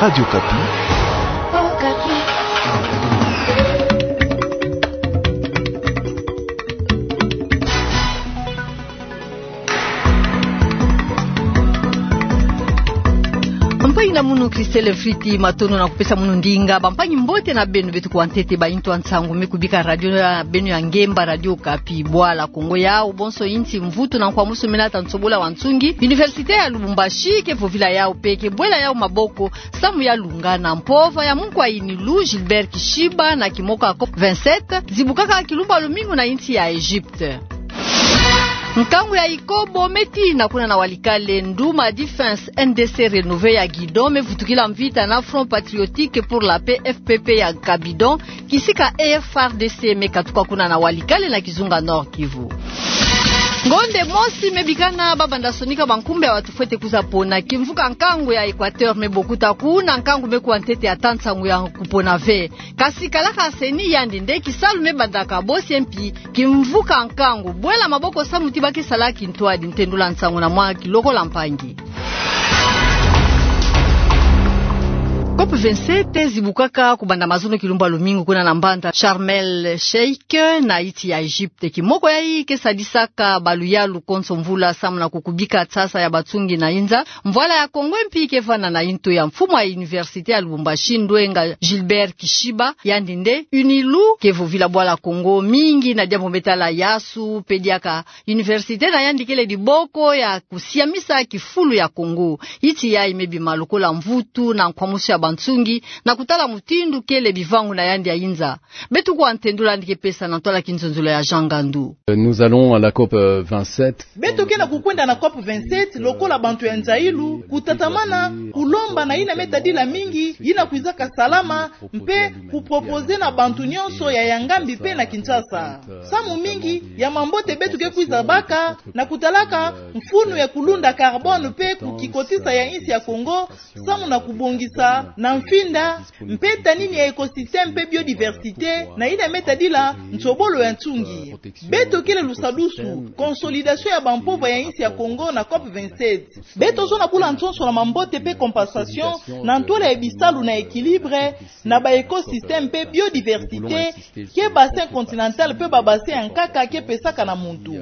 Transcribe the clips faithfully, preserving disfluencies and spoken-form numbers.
Radio Okapi. Mpangi na munu Christelle Friti, matondo na kupesa munu ndinga. Bampangi, mbote na beno. Beto kuwa ntete ba intu ya nsangu me kubika radio ya beno ya ngemba, Radio Okapi. Bwala Kongo yau bonso insi mvutu na nkwamusu mena ta nsobola wa nsungi. Université ya Lubumbashi ke vovila yau pe ke bwela yau maboko samu ya lungana mpova ya munkwa yinilu Gilbert Kishiba na kimoko ya COP vingt-sept, zibukaka kilumbu ya lumingu na insi ya Egypte. Nkangu ya ikobo me tina kuna na Walikale, nduma Defense N D C Renové ya Guidon me vutukila mvita na Front Patriotique pour la Paix, F P P, ya Cabidon, kisika F R D C me katuka kuna na Walikale na kizunga Nord-Kivu. Ngonde mosi me bikana ba banda sonika bankumbu ya batu fwete kwiza pona. Kimvuka nkangu ya Equateur me bokuta kuna, nkangu me kuwa ntete ata nsangu ya kupona ve. Kasi kalaka CENI, yandi nde kisalu me bandaka bosi, mpi kimvuka nkangu bwela maboko samu ti ba ke sala kintwadi. Ntendula nsangu na mwa kilokola mpangi. COP vingt-sept zibukaka kubanda mazono kilumbu ya lumingu kuna na mbanza Sharm el Sheikh na insi ya Egypte. Kimoko yayi ke sadisaka baluyalu konso mvula samu na kukubika nsasa ya bansungi na inza. Mvwala ya Kongo mpi ke vanda na intu ya mfumu ya Université ya Lubumbashi, ndwenga Gilbert Kishiba, yandi nde yinilu ke vovila Bwala Kongo mingi na diambu me tala yasu, pe diaka université na yandi kele diboko ya kusiamisa kifulu ya Kongo. Insi yayi me bima lokola mvutu na nkwamusu ya bansungi na kutala mutindu kele bivangu na yandi ya inza. Beto kuwa ntendula yandi ke pesa na ntwala kinzonzolo ya Jean Ngandu. Nous allons à la COP, euh, vingt-sept. Beto ke na kukwenda na COP vingt-sept lokola bantu ya nzailu, kutatamana, kulomba na yina me tadila mingi yina kwizaka salama, mpe kuproposer na bantu nyonso ya Yangambi mpe na Kinshasa. Samu mingi ya mambote beto ke kwiza baka na kutalaka mfunu ya kulunda carbone mpe kukikotisa ya insi ya Kongo, samu na kubongisa na mfinda mpe tanini ya écosystème mpe biodiversité na yina me tadila nsobolo ya nsungi. Beto kele lusadusu, consolidation ya bampova ya insi ya Kongo na COP vingt-sept. Beto zona bula nsonso na mambote mpe compensation na ntwala ya bisalu na équilibre na ba écosystème mpe biodiversité, ke bassin continental mpe ba bassin ya nkaka ke pesaka na muntu.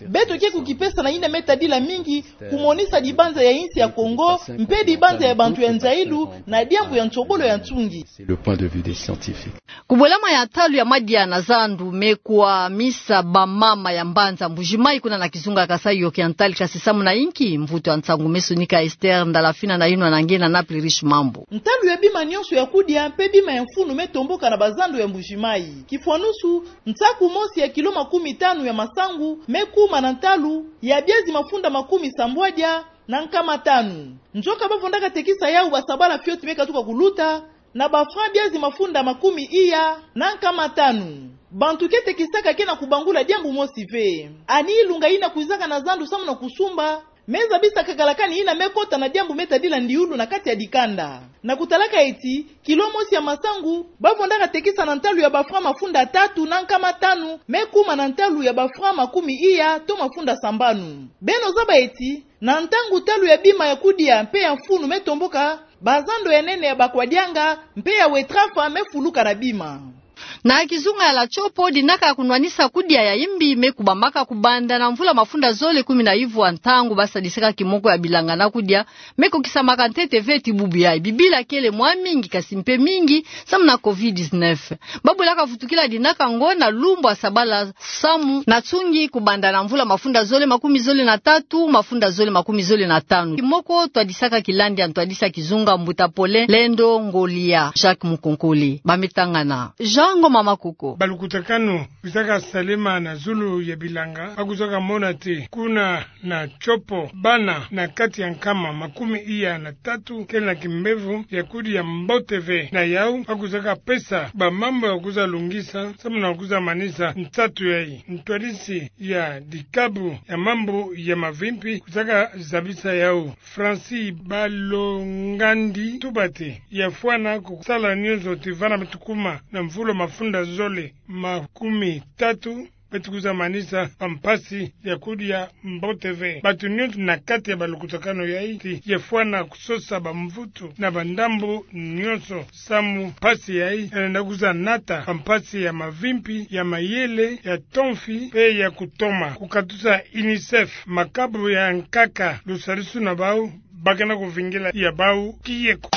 Beto ke kukipesa na yina me tadila mingi kumonisa dibanza ya insi ya Kongo mpe dibanza ya bantu ya nzailu na diambu ya nsobolo ya nsungi. C'est le point de vue des scientifiques. Kubwelama ya ntalu ya madia na zandu me kwamisa bamama ya mbanza Mbujimayi kuna na kizunga Kasaï Oriental. Kasi samu na inki? Mvutu ya nsangu me sonika Esther Ndalafina na yinwa na nge na Naples Riche Mambu. Ntalu ya bima nyonso ya kudia mpe bima ya mfunu me tomboka na bazandu ya Mbujimayi. Kifwanusu, nsaku mosi ya kilo makumi tanu ya masangu me kuma na ntalu ya biazi mafunda makumi sambwadia na nkama tanu. Nzoka ba vondaka tekisa yau basabala fioti me katuka kuluta na ba francs biazi mafunda makumi iya na nkama tanu. Bantu ke tekisaka ke na kubangula diambu mosi ve. Ani ilunga yina kwizaka na zandu samu na kusumba me zabisa kakalakani yina me kota na diambu me tadila ndiulu na kati ya dikanda. Na kutalaka eti kilo mosi ya masangu ba vondaka tekisa na ntalu ya ba francs mafunda tatu na nkama tanu me kuma na ntalu ya ba francs makumi iya to mafunda sambanu. Beno zaba eti na ntangu ntalu ya bima ya kudia mpe ya mfunu me tomboka, bazando ya nene ya bakwadianga mpe ya wetrafa me fuluka na bima. Na kizunga ya La Tshopo, dinaka ya kunwanisa kudia ya imbi me kubamaka kubanda na mvula mafunda zole kumi na ivwa, ntangu ba sadisaka kimoko ya bilanga na kudia me kokisamaka ntete ve ti bubu yayi. Bibila kele mwa mingi, kasi mpe mingi samu na covid dix-neuf. Ba bwelaka vutukila dinaka ngo na lumbu ya sabala samu na nsungi kubanda na mvula mafunda zole makumi zole na tatu, mafunda zole makumi zole na tanu. Kimoko twadisaka kilandi ya ntwadisi ya kizunga, mbuta Paulin Lendo Ngolia Jacques Mukonkole. Ba me tangana. Jean Ngoma Makoko. Balukutakanu kwizaka salema na zulu ya bilanga, ba kwizaka mona te kuna na Tshopo, bana na kati ya nkama makumi iya na tatu kele na kimbevo ya kudia mbote ve. Na yau ba kwizaka pesa bamambu ya kwiza lungisa samu na kwiza manisa nsatu yayi. Ntwadisi ya dikabu ya mambu ya mavimpi kwizaka zabisa yau. Francis Balongandi tuba te ya fwana kusala nyonso ti vana me tukuma na mvula mafunda zole makumi tatu Beto kwiza manisa bampasi ya kudia mbote ve. Bato nyonso na kati ya balukutakanu yayi ti yafwana kusosa bamvutu na bandambu nyonso, samu mpasi yayi yalenda kwiza nata bampasi ya mavimpi, ya mayele, ya tomfi, mpe ya kutoma. Ku katusa UNICEF, makabo ya nkaka, lusadisu na bau, ba ke na kuvingila ya bau kieko.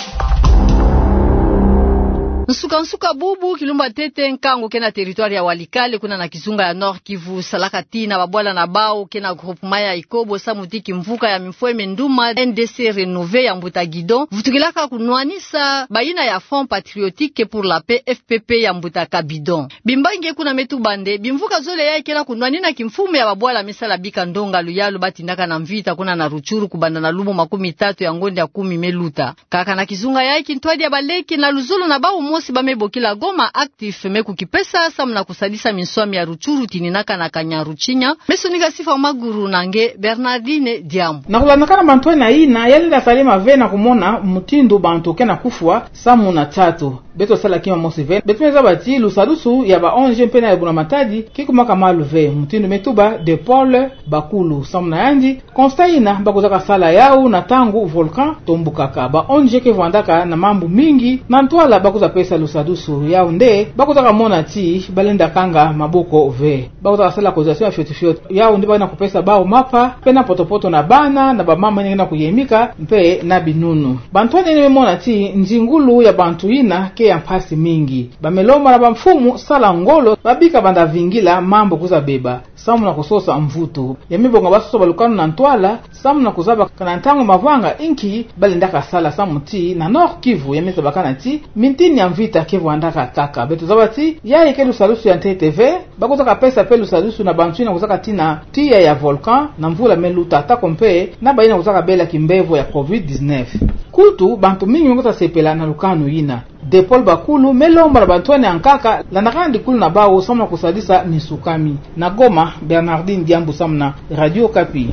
Nsuka-nsuka bubu, kilumbu ya ntete, nkangu ke na territoire ya Walikale, kuna na kizunga ya Nord-Kivu, salaka tii na babwala na bau ke na groupement ya Ikobo, samu ti kimvuka ya mifweme nduma N D C Renové ya mbuta Guidon vutukilaka kunwanisa bayina ya Front Patriotique pour la Paix, F P P, ya mbuta Kabidon. Bimbangi kuna me tuba nde bimvuka zole yayi ke na kunwanina kimfumu ya babwala me sala bika ndonga luyalu ba tindaka na mvita kuna na Rutshuru kubanda na lumo makumi tatu ya ngonde ya kumi me luta. Kaka na kizunga yayi, kintwadi ya baleke na luzolo na bau mosi ba me bokila Goma Actif me kukipesa samu na kusadisa minswami ya Rutshuru tininaka na Kanyaruchinya. Me sonika sifa maguru na nge Bernardine Diambu. Na kulandakana mantwala yina, yalenda salama ve na kumona mutindu bantu ke na kufwa samu na tatu. Beto sala kima mosi ve. Beto me zaba ti lusadisu ya ba O N G mpe na ya buna-matadi ke kumaka malu ve, mutindu me tuba De Paul Bakulu. Samu na yandi, constat yina ba kwizaka sala yau na ntangu volcan tombukaka. Ba O N G ke vwandaka na mambu mingi na ntwala ba kwiza pesa lusadisu yau, nde ba kwizaka mona ti balenda kanga maboko ve. Ba kwizaka sala cotisation ya fioti-fioti. Yau nde ba ke na kupesa bau mapa, mpe na poto-poto na bana, na bamama yina ke na kuyemika, mpe na binunu. Bantu yina me mona ti nzingulu ya bantu yina ke ya mpasi mingi. Ba me lomba na bamfumu sala ngolo, ba bika banda vingila mambu kwiza beba, samu na kusosa mvutu. Ya me bonga ba sosa balukanu na ntwala, samu na kuzaba kana ntangu mavanga inki balendaka sala, samu ti na Nord-Kivu ya me zabakana ti mintini ya mvita ke vwandaka kaka. Beto zaba ti yayi ke lusadisu ya ntete ve. Ba kwizaka pesa mpe lusadisu na bantu yina kwizaka tina tiya ya volcan na mvula me luta, atako mpe na bayina kwizaka bela kimbevo ya covid dix-neuf. Kutu, bantu mingi me kwiza sepela na lukanu yina. De Paul Bakulu me lomba na bantu yina ya nkaka landakana dikulu na bau samu na kusadisa misukami. Na Goma, Bernardine Diambu samu na Radio Okapi.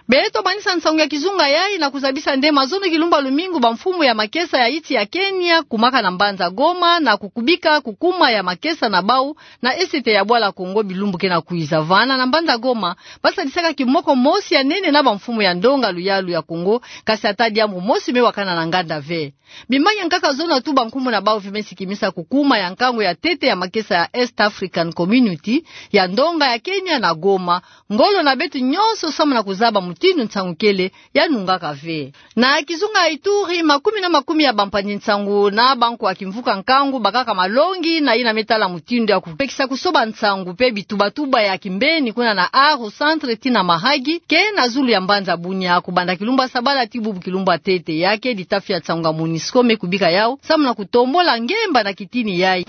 Beto manisa nsangu ya kizunga yayi na kuzabisa nde mazono kilumbu ya lumingu, bamfumu ya makesa ya insi ya Kenya kumaka na mbanza Goma na kukubika kukuma ya makesa na bau na esete ya bwala Kongo bilumbu ke na kwiza. Vana na mbanza Goma, ba sadisaka kimoko mosi ya nene na bamfumu ya ndonga luyalu ya Kongo, kasi ata diambu mosi me wakana na nganda ve. Bimbangi ya nkaka zono atu bankumu na bau ve me sikimisa kukuma ya nkangu ya ntete ya makesa ya East African Community ya ndonga ya Kenya na Goma. Ngolo na beto nyonso samu na kuzaba mutindu nsangu kele ya nungaka ve. Na kizunga ya Ituri, makumi na makumi ya bampangi nsangu na bankwa kimvuka nkangu bakaka malongi na yina me tala mutindu ya kupekisa kusoba nsangu mpe bitubatuba ya kimbeni kuna na Aru Centre tii na Mahagi, ke na zulu ya mbanza Bunia, kubanda kilumbu ya sabala tii bubu kilumbu ya ntete. Ya ke ditafi ya nsangu ya MONUSCO me kubika yau samu na kutombula ngemba na kitini yayi.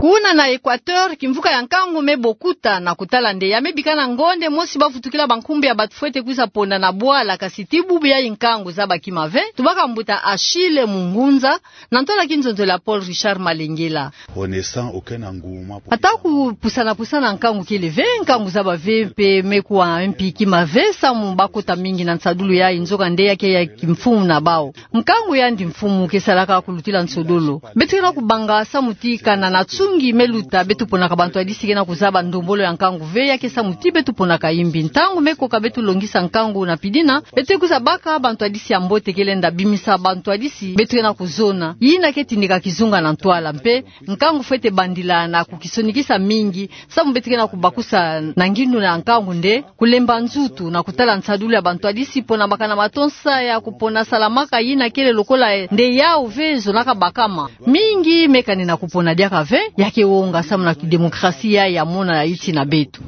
Kuna na Equateur, kimvuka ya nkangu me bokuta na kutala nde ya me bikana ngonde mosi ba vutukila bankumbu ya bantu fwete kwiza ponda na bwala, kasi tii bubu yayi nkangu zaba kima ve. Tubaka mbuta Achille Mungunza na ntwala kinzonzolo ya Paul Richard Malengela. Ata kupusana-pusana nkangu kele ve, nkangu zaba ve mpe me kuwa mpi kima ve samu bakota mingi na nsadulu yayi, nzoka nde ya ke ya kimfumu na bau. Nkangu yandi mfumu ke salaka kulutila nsodolo. Beto ke na kubanga samu ti kana na tsungi me luta, beto ponaka bantwadisi ke na kuzaba ndombolo ya nkangu ve, ya ke samu ti beto ponaka yimbi. Ntangu me koka beto longisa nkangu na pidina, beto kwiza baka bantwadisi ya mbote ke lenda bimisa bantwadisi beto ke na kuzona. Yina ke tindika kizunga na ntwala, mpe nkangu fwete bandila na kukisonikisa mingi, samu beto ke na kubakusa na ngindu na nkangu nde kulemba nzutu na kutala nsadulu ya bantwadisi pona baka na matonsa ya kupona salamaka yina kele lokola nde yau ve zonaka bakama. Mingi me kani na kupona diaka ve, ya ke wonga samu na kidemokrasia ya mona ya insi na beto.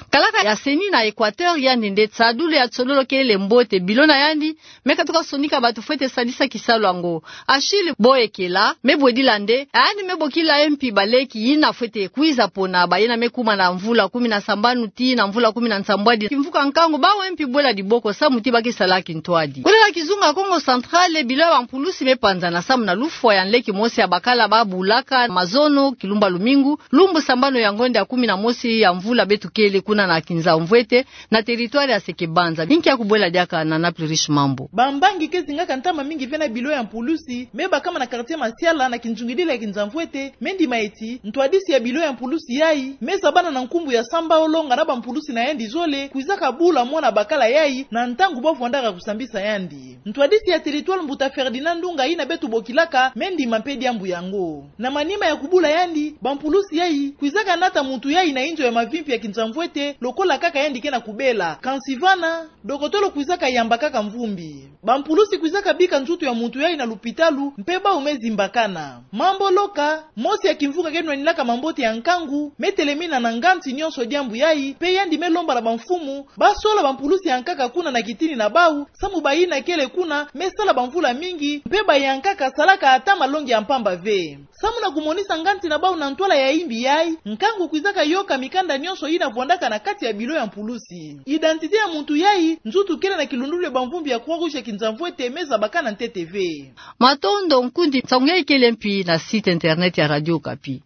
Kalaka ya CENI na Equateur yandi nde nsadulu ya nsololo kele mbote, bilo na yandi me katuka sonika bantu fwete sadisa kisalu yango. Achille Boyekela me bwedila nde yandi me bokila MP baleki yina fwete kwiza pona, bayina me kuma na mvula kumi na sambanu tii na mvula kumi na nsambwadi. Kimvuka nkangu bau MP bwela diboko samu ti ba ke sala kintwadi. Kuna na kizunga Kongo Central, bilo ya bampulusi me panzana samu na lufwa ya nleke mosi ya bakala ba bulaka mazo Kilumba lumingu, lumbu sambanu ya ngonda ya kumi na mosi ya mvula beto kele kuna na Kinzamvwete, na territoire ya Sekebanza. Inki ya kubwela diaka na Naples Riche Mambu. Bambangi ke zingaka ntama mingi ve na bilo ya mpulusi me bakama na quartier Masiala na kinzungidila ya Kinzamvwete me ndima eti ntwadisi ya bilo ya mpulusi yayi me zabana na nkumbu ya Samba Olonga na bampulusi na yandi zole kwizaka bula mwana bakala yayi na ntangu ba vwandaka kusambisa yandi. Ntwadisi ya territoire Mbuta Ferdinand Ndunga yina beto bokilaka me ndima mpe diambu yango. Na manima ya kubula yandi, bampulusi yayi kwizaka nata muntu yayi na inzo ya mavimpi ya Kinzamvwete lokola kaka yandi ke na kubela. Kansi vana, dokotolo kwizaka yamba kaka mvumbi. Bampulusi kwizaka bika nzutu ya muntu yayi na lupitalu mpe bawu me zimbakana. Mambo Loka, mosi ya kimvunga ke nwanilaka mambote ya nkangu, me telemina na nganzi nyonso diambu yayi mpe yandi me lomba na bamfumu ba sola bampulusi ya nkaka kuna na kitini na bawu, samu bayina kele kuna me sala bamvula mingi mpe bayankaka salaka ata malongi ya mpamba ve. Samu na kumonisa nganzi na bawu na ntwala ya imbi yayi, nkangu kwizaka yoka mikanda nyonso yina vwandaka na kati ya bilo ya mpulusi. Identité ya muntu yayi, nzutu kele na kilundulu ya bamvumbi ya Croix-Rouge ya Kinzamvwete me zabakana ntete ve. Matondo nkundi, nsangu yayi kele mpi na site internet ya Radio Okapi.